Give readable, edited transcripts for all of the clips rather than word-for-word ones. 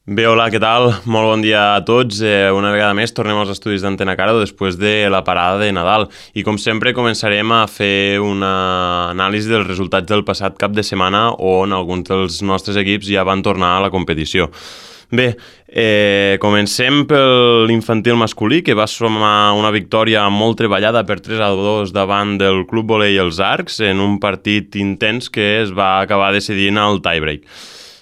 Bé, hola, què tal? Molt bon dia a tots. Una vegada més tornem als estudis d'Antena Caro després de la parada de Nadal. I com sempre començarem a fer una anàlisi dels resultats del passat cap de setmana on alguns dels nostres equips ja van tornar a la competició. Bé, comencem per l'infantil masculí, que va sumar una victòria molt treballada per 3-2 davant del Club Volei Els Arcs en un partit intens que es va acabar decidint al tiebreak.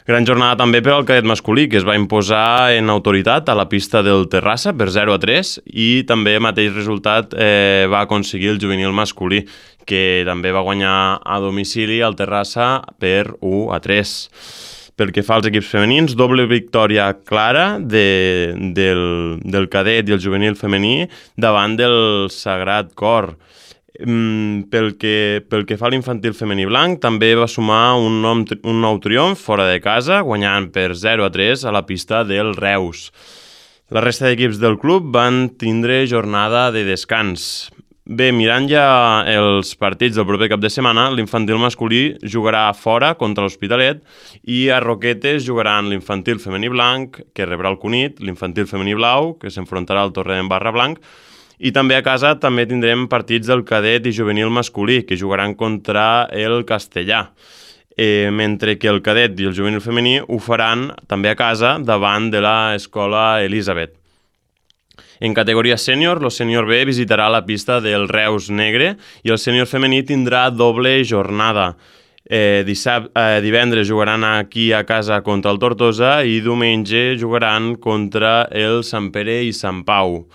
Gran jornada també per al cadet masculí, que es va imposar en autoritat a la pista del Terrassa per 0-3 i també mateix resultat va aconseguir el juvenil masculí, que també va guanyar a domicili al Terrassa per 1-3. Pel que fa als equips femenins, doble victòria clara del cadet i el juvenil femení davant del Sagrat Cor. Pel que fa a l'infantil femení blanc, també va sumar un nou triomf fora de casa, guanyant per 0-3 a la pista del Reus. La resta d'equips del club van tindre jornada de descans. Bé, mirant ja els partits del proper cap de setmana, l'infantil masculí jugarà fora contra l'Hospitalet i a Roquetes jugaran l'infantil femení blanc, que rebrà el Cunit, l'infantil femení blau, que s'enfrontarà al Torrent Barra Blanc, i també a casa també tindrem partits del cadet i juvenil masculí, que jugaran contra el Castellà, mentre que el cadet i el juvenil femení ho faran també a casa davant de l'Escola Elisabet. En categoria sènior, el sènior B visitarà la pista del Reus Negre i el sènior femení tindrà doble jornada. Divendres jugaran aquí a casa contra el Tortosa i diumenge jugaran contra el Sant Pere i Sant Pau.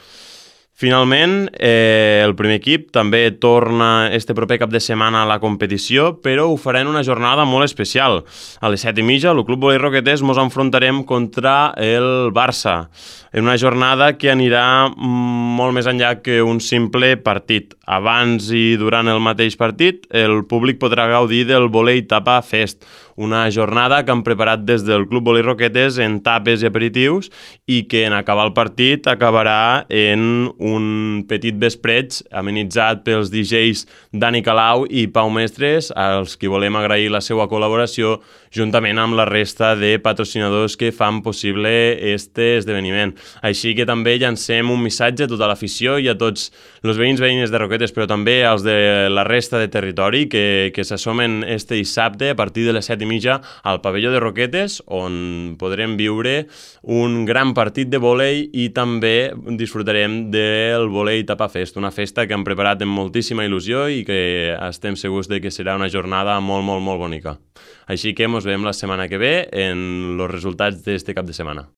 Finalment, el primer equip també torna este proper cap de setmana a la competició, però ho farà en una jornada molt especial. A les 7:30, el Club Volei Roquetes ens enfrontarem contra el Barça, en una jornada que anirà molt més enllà que un simple partit. Abans i durant el mateix partit, el públic podrà gaudir del Volei Tapa Fest, una jornada que han preparat des del Club Volei Roquetes en tapes i aperitius i que en acabar el partit acabarà en un petit vespreig amenitzat pels DJs Dani Calau i Pau Mestres, als qui volem agrair la seva col·laboració juntament amb la resta de patrocinadors que fan possible este esdeveniment. Així que també llancem un missatge a tota l'afició i a tots els veïns de Roquetes, però també als de la resta de territori que s'assomen este dissabte a partir de les 7:30 al pavelló de Roquetes, on podrem viure un gran partit de vòlei i també disfrutarem del Volei Tapa Fest, una festa que hem preparat amb moltíssima il·lusió i que estem segurs de que serà una jornada molt, molt, molt bonica. Així que ens veiem la setmana que ve en els resultats d'este cap de setmana.